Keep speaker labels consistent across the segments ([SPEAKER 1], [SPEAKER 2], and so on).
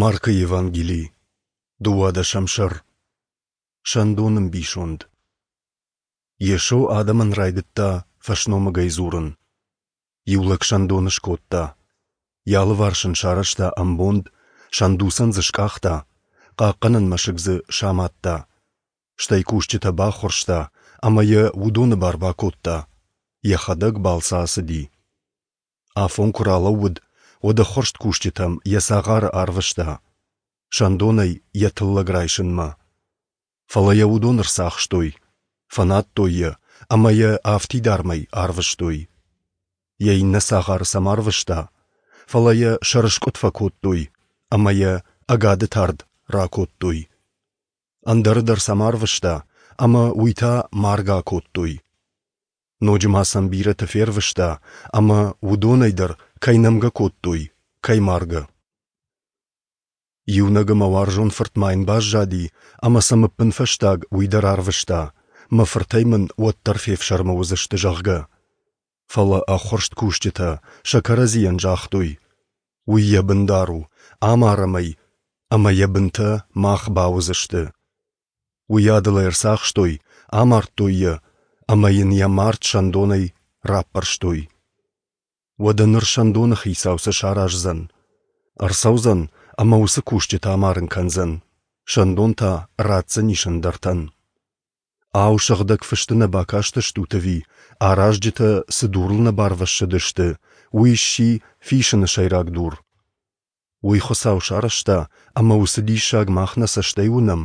[SPEAKER 1] Маркы Евангели, дыууадӕсӕм сӕр. Сӕндоны мбисонд. Йесо адӕмӕн райдыдта фӕсномыгӕй дзурын. Иу лӕг сӕндон скодта. Йӕ алыварс ын сарӕзта ӕмбонд, сӕндуцӕн дзы скъахта, хъахъхъӕнӕн мӕсыг дзы самадта. Стӕй кусджытӕ баххуырста ӕмӕ йӕ уыдоны бар бакодта. Йӕхӕдӕг балцы ацыди. Афон куы ралӕууыд, уӕд ӕххуырст кусджытӕм йӕ цагъары арвыста, сӕндонӕй йӕ тыллӕг райсынмӕ. Фӕлӕ йӕ уыдон ӕрцахстой, фӕнадтой йӕ ӕмӕ йӕ афтидармӕй арвыстой. Йӕ иннӕ цагъары сӕм арвыста, фӕлӕ йӕ сӕрыскъуыд фӕкодтой ӕмӕ йӕ ӕгады тард ракодтой. Ӕндӕры дӕр сӕм арвыста, ӕмӕ уый та маргӕ акодтой. Ноджы ма сӕм бирӕты фервыста, ӕмӕ уыдонӕй дӕр кӕй нӕмгӕ кодтой, кӕй маргӕ. Иунӕг ӕмӕ уарзон фырт ма йын баззади, ӕмӕ сӕм ӕппынфӕстаг уый дӕр арвыста, мӕ фыртӕй мын уӕддӕр фефсӕрмы уыдзысты, зӕгъгӕ. Фӕлӕ ӕххуырст кусджытӕ сӕ кӕрӕдзийӕн загътой: Уый йӕ бындар у, амарӕм ӕй, ӕмӕ йӕ бынтӕ мах бауыдзысты. Уыйадыл ӕй ӕрцахстой, амардтой йӕ ӕмӕ йын йӕ мард сӕндонӕй раппӕрстой. Уӕдӕ ныр сӕндоны хицау цы сараздзӕн? Ӕрцӕудзӕн ӕмӕ уыцы кусджыты амарын кӕндзӕн, сӕндон та ратдзӕнис ӕндӕртӕн. Ау, сыгъдӕг фысты нӕ бакастыстут ӕви, аразджытӕ цы дурыл нӕ барвӕссыдысты, уый сси фисыны сӕйраг дур? Уый Хуыцау сарӕзта, ӕмӕ уыцы диссаг мах нӕ цӕстӕй уынӕм?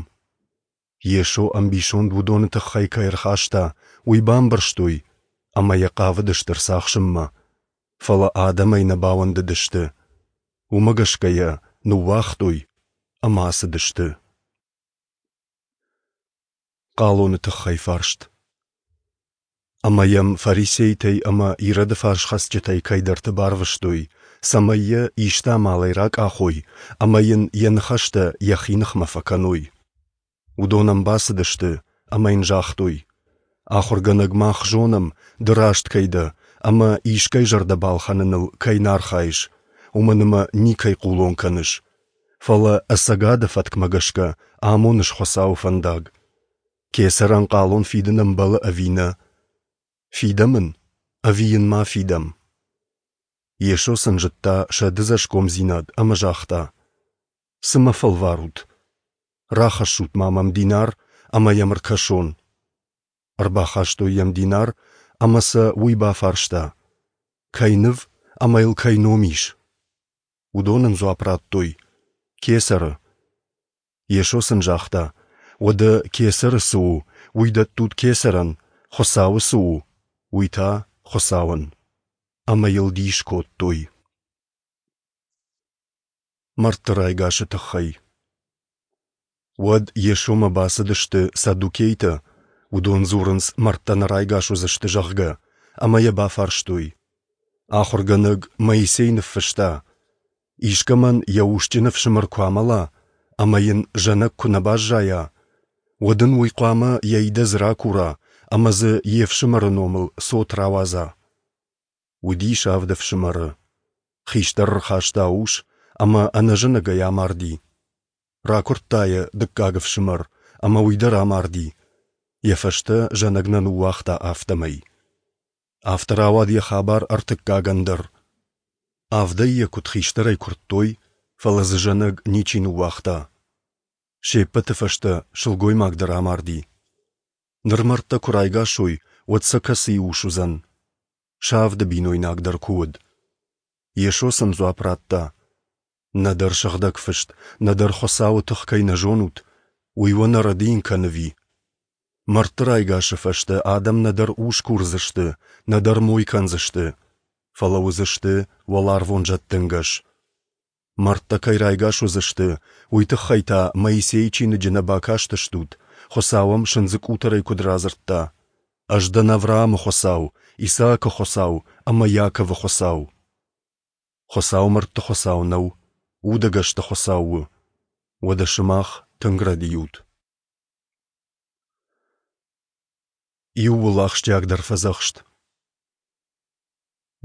[SPEAKER 1] Йесо ӕмбисонд уыдоны тыххӕй кӕй ӕрхаста, уый бамбӕрстой ӕмӕ йӕ хъавыдысты ӕрцахсынмӕ. Фӕлӕ адӕмӕй нӕ бауӕндыдысты. Уымӕ гӕсгӕ йӕ ныууагътой ӕмӕ ацыдысты. Хъалоны тыххӕй фарст. Ӕмӕ йӕм фарисейтӕй ӕмӕ Ироды фарсхӕцджытӕй кӕйдӕрты барвыстой, цӕмӕй йӕ исты амалӕй ракъахой ӕмӕ йын йӕ ныхӕстӕ йӕхи ныхмӕ фӕкӕной. Уыдон ӕм бацыдысты ӕмӕ йын загътой: Ахуыргӕнӕг, мах зонӕм, ды раст кӕй дӕ ӕмӕ искӕй зӕрдӕ балхӕныныл кӕй нӕ архайыс, уымӕн ӕмӕ никӕй хъулон кӕныс, фӕлӕ ӕцӕгады фӕткмӕ гӕсгӕ амоныс Хуыцауы фӕндаг. Кесӕрӕн хъалон фидын ӕмбӕлы ӕви нӕ? Фидӕм ын ӕви йын ма фидӕм? Йесо сын зыдта сӕ дыдзӕсгомдзинад ӕмӕ загъта: Цы мӕ фӕлварут? Рахӕссут-ма мӕм динар ӕмӕ йӕм ӕркӕсон. Ӕрбахастой йӕм динар, ӕмӕ сӕ уый бафарста: Кӕй ныв ӕмӕ йыл кӕй ном ис? Уыдон ын дзуапп радтой: Кесӕры. Йесо сын загъта: Уӕдӕ кесӕры цы у, уый дӕттут кесӕрӕн, Хуыцауы цы у, уый та Хуыцауӕн. Ӕмӕ йыл дис кодтой. Мӕрдты райгасы тыххӕй. Уӕд Йесомӕ бацыдысты саддукейтӕ, уыдон дзурынц, мӕрдтӕ нӕ райгас уыдзысты, зӕгъгӕ, ӕмӕ йӕ бафарстой. Ахуыргӕнӕг Моисей ныффыста: Искӕмӕн йӕ усджын ӕфсымӕр куы амӕла ӕмӕ йын зӕнӕг куы нӕ баззайа, уӕд ын уый хъуамӕ йӕ идӕдз ракура ӕмӕ дзы йе фсымӕры номыл цот рауадза. Уыдис авд ӕфсымӕры. Хистӕр ӕрхаста ус ӕмӕ ӕнӕзӕнӕгӕй амарди. Ракуырдта йӕ дыккаг ӕфсымӕр, ӕмӕ уый дӕр амарди. Йӕ фӕстӕ зӕнӕг нӕ ныууагъта, афтӕмӕй. Афтӕ рауад йӕ хабар ӕртыккагӕн дӕр. Авдӕй йӕ куыд хистӕрӕй куырдтой, фӕлӕ дзы зӕнӕг ничи ныууагъта. Се ппӕты фӕстӕ сылгоймаг дӕр амарди. Ныр мӕрдтӕ куы райгас уой, уӕд сӕ кӕцыйы ус уыдзӕн? Сӕ авды бинойнаг дӕр куы уыд. Йесо сын дзуапп радта: Нӕдӕр Сыгъдӕг Фыст, нӕдӕр Хуыцауы тых кӕй нӕ зонут, уый уӕ нӕ рӕдийын кӕны ӕви? Мӕрдты райгасы фӕстӕ адӕм нӕдӕр ус курдзысты, нӕдӕр мой кӕндзысты, фӕлӕ уыдзысты уӕларвон зӕдты ӕнгӕс. Мӕрдтӕ кӕй райгас уыдзысты, уый тыххӕй та Моисейы чиныджы нӕ бакастыстут, Хуыцау ӕм сындзы къутӕрӕй куыд радзырдта: «Ӕз дӕн Авраамы Хуыцау, Исаакы Хуыцау ӕмӕ Иаковы Хуыцау». Хуыцау мӕрдты Хуыцау нӕу, удӕгӕсты Хуыцау у. Уӕдӕ сымах тынг рӕдийут. Иууыл ахсджиагдӕр фӕдзӕхст.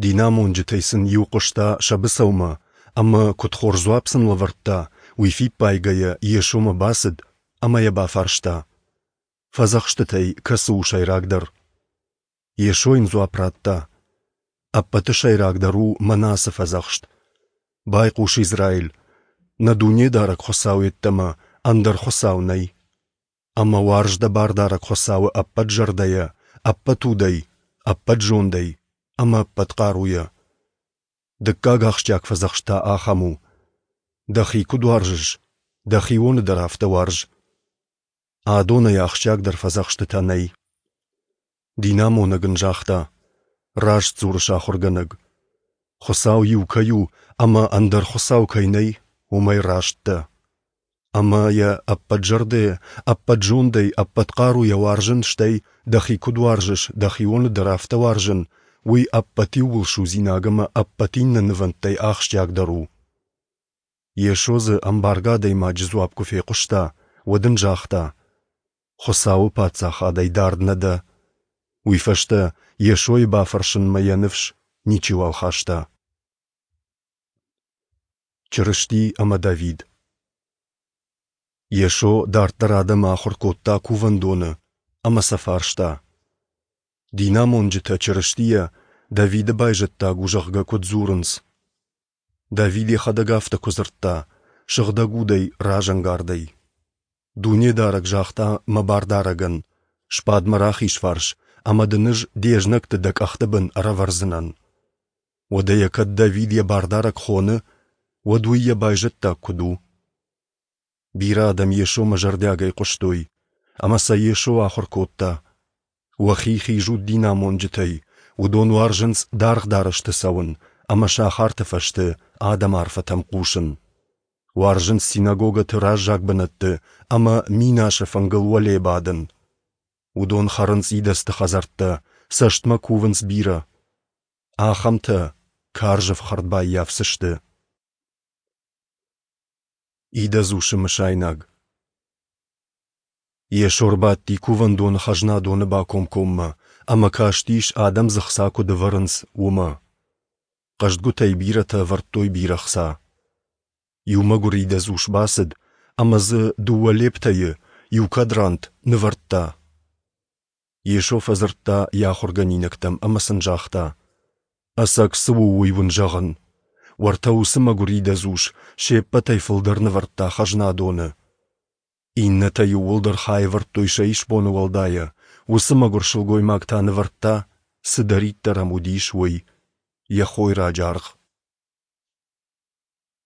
[SPEAKER 1] Динамонджытӕй сын иу хъуыста сӕ быцӕумӕ, ӕмӕ, куыд хорз дзуапп сын лӕвӕрдта, уый фиппайгӕйӕ Йесомӕ бацыд ӕмӕ йӕ бафарста, Фӕдзӕхстытӕй кӕцы у сӕйрагдӕр? Йесо йын дзуапп радта, Ӕппӕты сӕйрагдӕр у мӕнӕ ацы фӕдзӕхст: Байхъус, Израиль, нӕ Дунедарӕг Хуыцау йеддӕмӕ ӕндӕр Хуыцау нӕй. Ӕмӕ уарз дӕ Бардарӕг Хуыцауы ӕппӕт зӕрдӕйӕ, ӕппӕт удӕй, ӕппӕт зондӕй ӕмӕ ӕппӕт хъаруйӕ. Дыккаг ахсджиаг фӕдзӕхст та ахӕм у: дӕхи куыд уарзыс, дӕхионы дӕр афтӕ уарз. Адонӕй ахсджиагдӕр фӕдзӕхстытӕ нӕй. Динамонӕг ын загъта: Раст дзурыс, ахуыргӕнӕг. Хуыцау иу кӕй у ӕмӕ ӕндӕр Хуыцау кӕй нӕй, уымӕй раст дӕ. Ӕмӕ йӕ ӕппӕт зӕрдӕйӕ, ӕппӕт зондӕй, ӕппӕт хъаруйӕ уарзын, стӕй, дӕхи куыд уарзыс, дӕхионы дӕр афтӕ уарзын, уый ӕппӕт иууылсудзинаг ӕмӕ ӕппӕт иннӕ нывӕндтӕй ахсджиагдӕр у. Йесо дзы ӕмбаргӕ адӕймаджы дзуапп куы фехъуыста, уӕд ын загъта: Хуыцауы Паддзахадӕй дард нӕ дӕ. Уый фӕстӕ Йесойы бафӕрсынмӕ йӕ ныфс ничиуал хаста. Чырысти ӕмӕ Давид Йесо дарддӕр адӕмы ахуыр кодта кувӕндоны ӕмӕ сӕ фарста: Динамонджытӕ Чырыстийӕ Давиды байзӕддаг у, зӕгъгӕ, куыд дзурынц? Давид йӕхӕдӕг афтӕ куы дзырдта, Сыгъдӕг Удӕй разӕнгардӕй. Дунедарӕг загъта мӕ Бардарӕгӕн: Сбад мӕ рахиз фарс, ӕмӕ дын ӕз де знӕгты дӕ къӕхты бын ӕрӕвӕрдзынӕн. Уӕдӕ йӕ кӕд Давид йӕ Бардарӕг хоны, уӕд уый йӕ байзӕддаг куыд у? Бирӕ адӕм Йесомӕ зӕрдиагӕй хъуыстой, ӕмӕ сӕ Йесо ахуыр кодта. Уӕхи хизут динамонджытӕй, уыдон уарзынц даргъ дарӕсты цӕуын ӕмӕ сахарты фӕзты адӕмы арфӕтӕм хъусын. Уарзынц синагогӕты раззаг бынӕтты ӕмӕ минасы фынгыл уӕле бадын. Уыдон хӕрынц идӕдзты хӕдзӕрттӕ, цӕстмӕ кувынц бирӕ. Ахӕмтӕ карз ӕфхӕрд баййафдзысты. Идӕдз усы мысайнаг. Йесо ӕрбадти кувӕндоны хӕзнадоны бакомкоммӕ ӕмӕ кастис, адӕм дзы хца куыд ӕвӕрынц, уымӕ. Хъӕздгуытӕй бирӕтӕ ӕвӕрдтой бирӕ хца. Иу мӕгуыр идӕдз ус бацыд ӕмӕ дзы дыууӕ лептӕйы, иу квадрант, нывӕрдта. Йесо фӕдзырдта йӕ ахуыргӕнинӕгтӕм ӕмӕ сын загъта: Ӕцӕг цы у, уый уын зӕгъын. Уӕртӕ уыцы мӕгуыр идӕдз ус се ппӕтӕй фылдӕр нывӕрдта хӕзнадоны. Иннӕтӕ иууылдӕр хай ӕвӕрдтой сӕ исбоны уӕлдайӕ, уыцы мӕгуыр сылгоймаг та нывӕрдта, цыдӕриддӕр ӕм уыдис, уый, йӕ хойраджы аргъ.